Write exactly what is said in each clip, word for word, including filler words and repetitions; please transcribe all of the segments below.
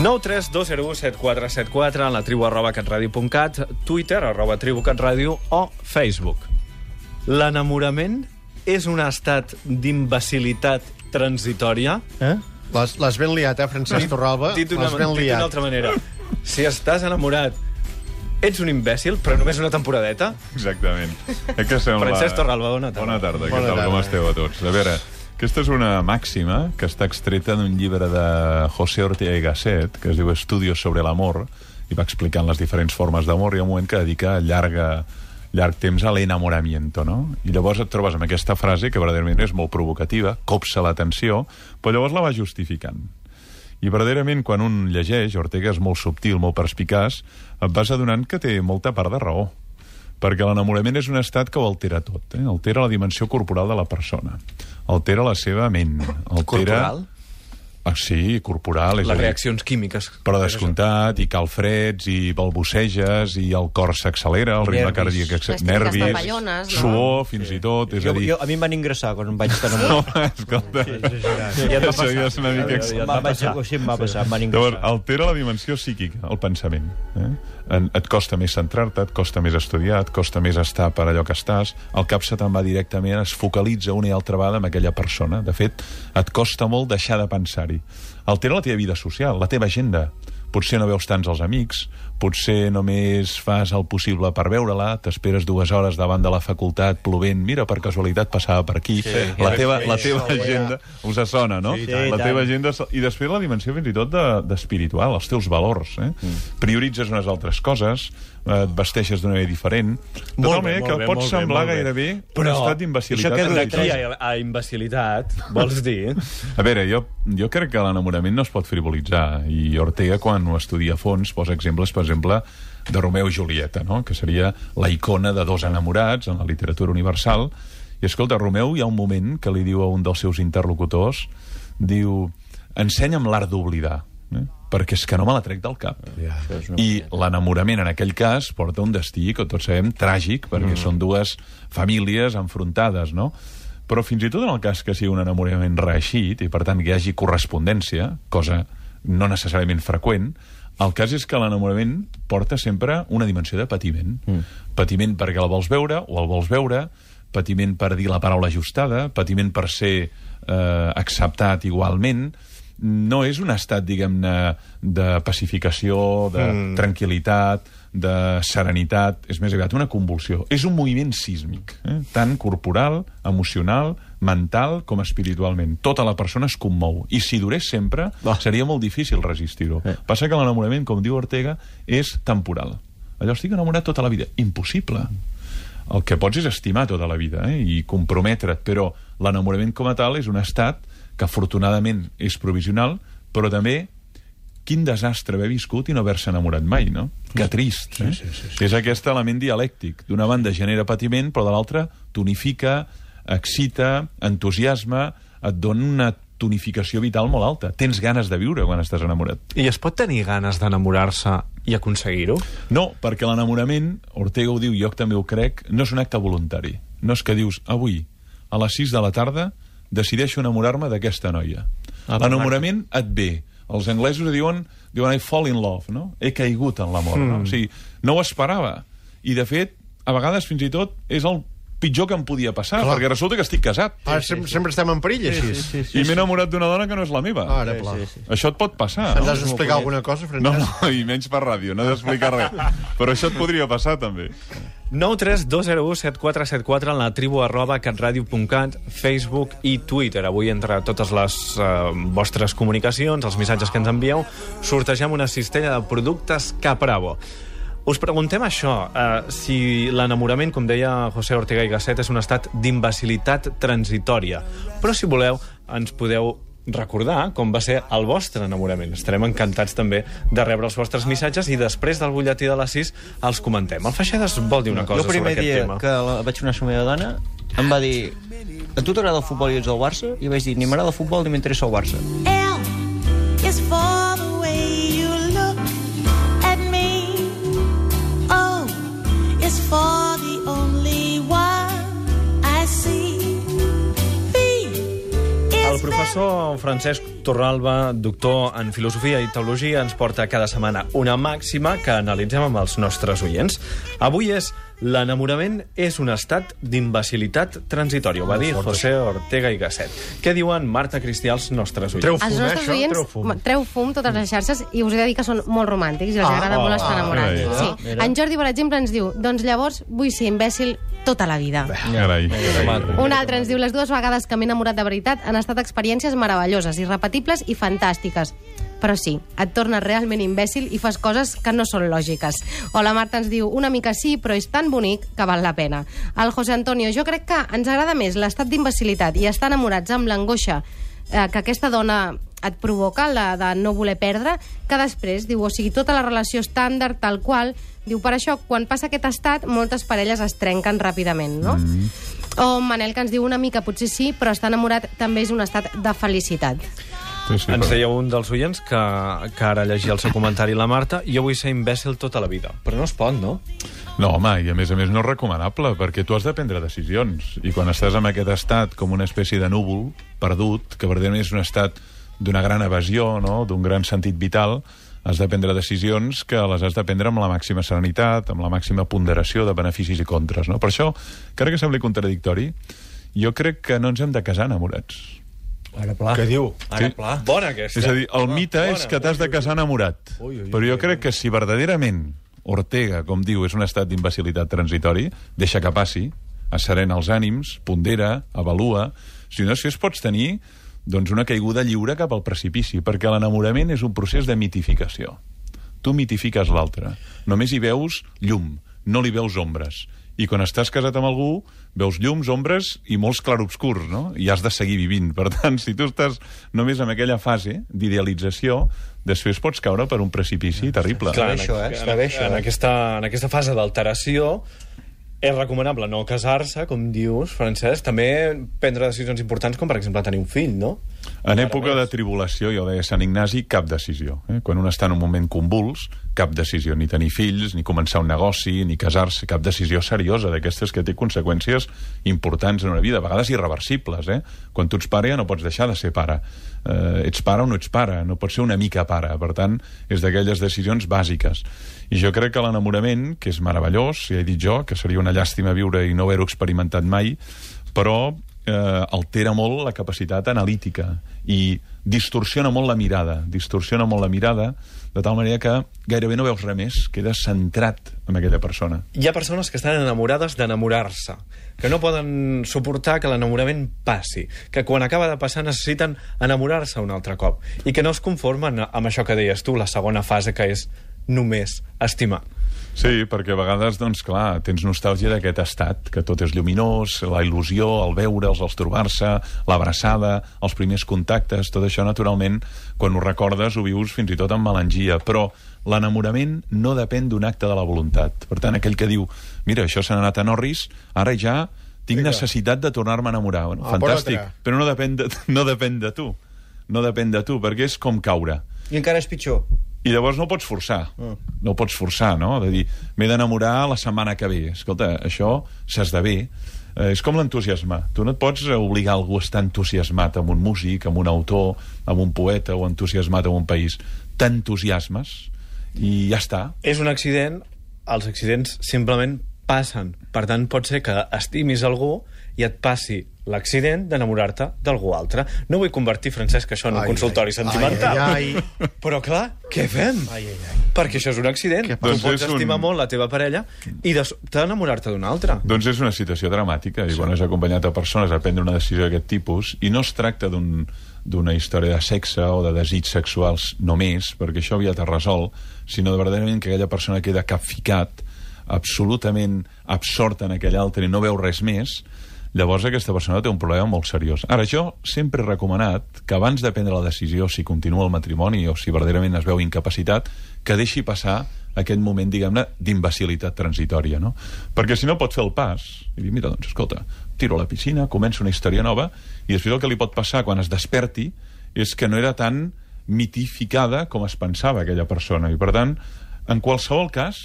nou tres dos zero u set quatre set quatre, en la tribu arroba catradio punt cat, Twitter arroba tribu catradio o Facebook. L'enamorament és un estat d'imbecilitat transitòria? Eh? L'has ben liat, eh, Francesc Torralba? Dit d'una ben liat. altra manera. Si estàs enamorat, ets un imbècil, però només una temporadeta? Exactament. Eh que sembla... Francesc Torralba, bona tarda. Bona tarda, Bona què tal? tarda. Com esteu a tots? A veure, aquesta és una màxima que està extreta d'un llibre de José Ortega y Gasset, que es diu Estudios sobre l'amor, i va explicant les diferents formes d'amor. Hi ha un moment que dedica llarga, llarg temps a l'enamoramiento, no? I llavors et trobes amb aquesta frase, que verdaderament és molt provocativa, copsa l'atenció, però llavors la va justificant. I verdaderament, quan un llegeix, Ortega és molt subtil, molt perspicaç, et vas adonant que té molta part de raó. Perquè l'enamorament és un estat que ho altera tot. Eh? Altera la dimensió corporal de la persona. Altera la seva ment. Altera... Corporal? Ah, sí, corporal. És Les a dir, reaccions químiques. però descomptat, i calfreds, i balbuceges, i el cor s'accelera, el ritme Nervis. cardíac, Les típiques nervis, papallones, no? suor, fins i tot. És Jo, a dir... jo, a mi em van ingressar quan em vaig estar No, enamorat. escolta, Ja et va això ja és una mica... ex- Em va passar, o sigui, em va passar, em van Llavors, ingressar. altera la dimensió psíquica, el pensament. Eh? En, et costa més centrar-te, et costa més estudiar, et costa més estar per allò que estàs, el cap se te'n va directament, es focalitza una i altra vegada en aquella persona. De fet, et costa molt deixar de pensar-hi. Altera la teva vida social, la teva agenda. Potser no veus tants els amics, potser només fas el possible per veure-la, t'esperes dues hores davant de la facultat plovent, mira, per casualitat passava per aquí. Sí, la teva, la teva agenda... Us sona, no? Sí, la tant. teva agenda... I després la dimensió fins i tot d'espiritual, de, els teus valors. Eh? Mm. Prioritzes unes altres coses, et vesteixes d'una manera diferent. Molt bé, Totalment, molt que bé, pot molt bé, semblar molt bé. gairebé un Però estat d'imbecilitat. això que D'aquí transitòria. a, a imbecilitat, vols dir? A veure, jo, jo crec que l'enamorament no es pot frivolitzar, i Ortega, quan ho estudia a fons, posa exemples, per exemple, de Romeu i Julieta, no? Que seria la icona de dos enamorats en la literatura universal. I escolta, Romeu hi ha un moment que li diu a un dels seus interlocutors, diu, ensenya'm l'art d'oblidar, eh? perquè és que no me la trec del cap. Ja, I l'enamorament, en aquell cas, porta un destí, que tots sabem, tràgic, perquè mm. són dues famílies enfrontades, no? Però fins i tot en el cas que sigui un enamorament reeixit, i per tant que hi hagi correspondència, cosa no necessàriament freqüent, el cas és que l'enamorament porta sempre una dimensió de patiment. Mm. Patiment perquè la vols veure o el vols veure, patiment per dir la paraula ajustada, patiment per ser eh, acceptat igualment. No és un estat, diguem-ne, de pacificació, de mm. tranquil·litat, de serenitat, és més aviat una convulsió. És un moviment sísmic, eh? tant corporal, emocional, mental com espiritualment. Tota la persona es commou. I si durés sempre, Oh. seria molt difícil resistir-ho. Eh. Passa que l'enamorament, com diu Ortega, és temporal. Allò, estic enamorat tota la vida. Impossible. El que pots és estimar tota la vida, eh? i comprometre't, però l'enamorament com a tal és un estat que afortunadament és provisional, però també quin desastre haver viscut i no haver-se enamorat mai, no? Que trist, eh? Sí, sí, sí, sí. És aquest element dialèctic. D'una banda genera patiment, però de l'altra tonifica, excita, entusiasma, et dona una tonificació vital molt alta. Tens ganes de viure quan estàs enamorat. I es pot tenir ganes d'enamorar-se i aconseguir-ho? No, perquè l'enamorament, Ortega ho diu, jo també ho crec, no és un acte voluntari. No és que dius, avui, a les sis de la tarda, decideixo enamorar-me d'aquesta noia. Ah, L'enamorament et ve. Els anglesos diuen, diuen I fall in love, no? He caigut en l'amor, mm. no? O sigui, no ho esperava. I, de fet, a vegades, fins i tot, és el pitjor que em podia passar, Clar. perquè resulta que estic casat. Ara sempre, sempre estem en perill, així. Sí, sí, sí, I m'he enamorat d'una dona que no és la meva. Ara, pla. sí, sí. Això et pot passar. Ens no? has d'explicar alguna cosa, No, Francesc? no, i menys per ràdio, no he d'explicar res. Però això et podria passar, també. nou tres dos zero u set quatre set quatre, en la tribu arroba catradio punt cat, Facebook i Twitter. Avui, entre totes les uh, vostres comunicacions, els missatges que ens envieu, sortegem una cistella de productes Capravo. Us preguntem això, eh, si l'enamorament, com deia José Ortega y Gasset, és un estat d'imbecilitat transitòria. Però, si voleu, ens podeu recordar com va ser el vostre enamorament. Estarem encantats també de rebre els vostres missatges i després del butlletí de les sis els comentem. El Feixedes vol dir una cosa Jo el primer sobre aquest dia tema. que la, vaig conèixer la meva dona em va dir, a tu t'agrada el futbol i ets del Barça? I vaig dir, ni m'agrada el futbol ni m'interessa el Barça. L is for the way you look at me. O is for the only one I see. V is professor Francesc Torralba, doctor en Filosofia i Teologia, ens porta cada setmana una màxima que analitzem amb els nostres oients. Avui és: l'enamorament és un estat d'imbecilitat transitori. Ho va dir José Ortega i Gasset. Què diuen Marta Cristià els nostres oients? Treu fum, Els eh, nostres això? oients Treu fum. treu fum totes les xarxes i us he de dir que són molt romàntics i els Ah, agrada molt estar ah, enamorats. mira, Sí. mira. En Jordi, per exemple, ens diu: doncs llavors vull ser imbècil tota la vida. Carai, carai. Un altre ens diu: les dues vegades que m'he enamorat de veritat han estat experiències meravelloses, irrepetibles i fantàstiques. Però sí, et tornes realment imbècil i fas coses que no són lògiques. O la Marta ens diu: una mica sí, però és tan bonic que val la pena. El José Antonio: jo crec que ens agrada més l'estat d'imbecilitat i estar enamorats amb l'angoixa eh, que aquesta dona et provoca, la de no voler perdre, que després, diu, o sigui, tota la relació estàndard, tal qual, diu, per això, quan passa aquest estat, moltes parelles es trenquen ràpidament, no? Mm. O Manel, que ens diu: una mica potser sí, però estar enamorat també és un estat de felicitat. Sí, sí, Ens però- deia un dels oients que, que ara llegia el seu comentari la Marta: jo vull ser imbècil tota la vida. Però no es pot, no? No, home, i a més a més no és recomanable, perquè tu has de prendre decisions. I quan estàs en aquest estat com una espècie de núvol perdut, que verdaderament és un estat d'una gran evasió, no?, d'un gran sentit vital, has de prendre decisions que les has de prendre amb la màxima serenitat, amb la màxima ponderació de beneficis i contres, no? Per això, encara que sembli contradictori, jo crec que no ens hem de casar enamorats. Ara pla. Què diu? Ara Sí. pla. Bona aquesta. És a dir, el mite bona. és que t'has de casar enamorat. Ui, ui, ui, Però jo ui, crec que si verdaderament Ortega, com diu, és un estat d'imbecilitat transitori, deixa que passi, asserena els ànims, pondera, avalua. Si no, si es pots tenir doncs una caiguda lliure cap al precipici, perquè l'enamorament és un procés de mitificació. Tu mitifiques l'altre. Només hi veus llum, no li veus ombres. I quan estàs casat amb algú, veus llums, ombres i molts clarobscurs, no? I has de seguir vivint. Per tant, si tu estàs només en aquella fase d'idealització, després pots caure per un precipici terrible. Clar. Està bé això, eh? Està bé això, en, eh? aquesta, en aquesta fase d'alteració és recomanable no casar-se, com dius, Francesc, també prendre decisions importants, com per exemple tenir un fill, no? En època de tribulació, jo deia Sant Ignasi, cap decisió. Eh? Quan un està en un moment convuls, cap decisió. Ni tenir fills, ni començar un negoci, ni casar-se, cap decisió seriosa d'aquestes que té conseqüències importants en una vida, a vegades irreversibles. Eh? Quan tu ets pare ja no pots deixar de ser pare. Eh, ets pare o no ets pare, no pots ser una mica pare. Per tant, és d'aquelles decisions bàsiques. I jo crec que l'enamorament, que és meravellós, ja he dit jo, que seria una llàstima viure i no haver-ho experimentat mai, però eh, altera molt la capacitat analítica i distorsiona molt la mirada, distorsiona molt la mirada, de tal manera que gairebé no veus res més, quedes centrat en aquella persona. Hi ha persones que estan enamorades d'enamorar-se, que no poden suportar que l'enamorament passi, que quan acaba de passar necessiten enamorar-se un altre cop, i que no es conformen amb això que deies tu, la segona fase, que és només estimar. Sí, perquè a vegades, doncs, clar, tens nostàlgia d'aquest estat, que tot és lluminós, la il·lusió, el veure'ls, els trobar-se, l'abraçada, els primers contactes, tot això, naturalment, quan ho recordes, ho vius fins i tot amb melangia, però l'enamorament no depèn d'un acte de la voluntat. Per tant, aquell que diu, mira, això s'ha anat a Norris, ara ja tinc Vinga. necessitat de tornar-me a enamorar. Bueno, Ah, fantàstic, porta. però no depèn, de, no depèn de tu. No depèn de tu, perquè és com caure. I encara és pitjor. I llavors no pots forçar. Mm. No pots forçar, no? De dir, m'he d'enamorar la setmana que ve. Escolta, això s'esdevé. Eh, és com l'entusiasme. Tu no et pots obligar algú a estar entusiasmat amb un músic, amb un autor, amb un poeta o entusiasmat amb un país. T'entusiasmes i ja està. És un accident, els accidents simplement passen. Per tant, pot ser que estimis algú i et passi l'accident d'enamorar-te d'algú altre. No vull convertir, Francesc, això en un Ai, consultori ai, sentimental. ai, ai. Però, clar, què fem? Ai, ai, ai. Perquè això és un accident. Tu Doncs pots és un- estimar molt la teva parella i de sobte enamorar-te d'un altre. Doncs és una situació dramàtica, i quan has acompanyat a persones a prendre una decisió d'aquest tipus, i no es tracta d'un d'una història de sexe o de desig sexuals només, perquè això aviat es resol, sinó de verdaderament que aquella persona queda capficat, absolutament absort en aquell altre i no veu res més, llavors aquesta persona té un problema molt seriós. Ara, jo sempre he recomanat que abans de prendre la decisió si continua el matrimoni o si verdaderament es veu incapacitat, que deixi passar aquest moment, diguem-ne, d'imbecilitat transitòria, no? Perquè si no pot fer el pas i dir, mira, doncs, escolta, tiro a la piscina, començo una història nova, i després el que li pot passar quan es desperti és que no era tan mitificada com es pensava aquella persona. I, per tant, en qualsevol cas,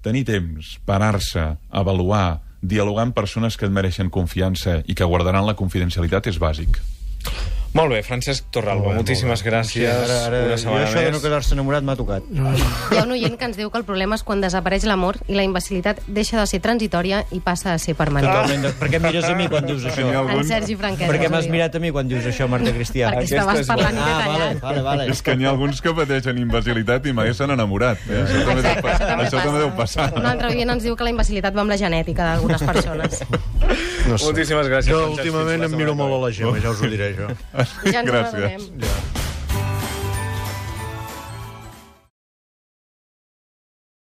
tenir temps, parar-se, avaluar, dialogar amb persones que et mereixen confiança i que guardaran la confidencialitat és bàsic. Molt bé, Francesc Torralba, moltíssimes gràcies. Ara, ara, una jo setmana això de més. no quedar-se enamorat m'ha tocat. Hi ha un oient que ens diu que el problema és quan desapareix l'amor i la imbecilitat deixa de ser transitòria i passa a ser permanent. Totalment. De... Per què mires a mi quan dius això? En Sergi Franquesa. Per què ens ho m'has diu. mirat a mi quan dius això, Marta Cristià? Perquè Aquesta estaves és parlant Ah, vale, detallat. vale, vale. És que n'hi ha alguns que pateixen imbecilitat i mai s'han enamorat. Eh? Això també, Exacte, deu, això també això també deu passar. Un altre oient ens diu que la imbecilitat va amb la genètica d'algunes persones. Moltíssimes gràcies, Jo Francesc. últimament Fins la em miro setmana que molt ve. a la Gemma, ja us ho diré jo. Ja ens Gràcies. n'adonem.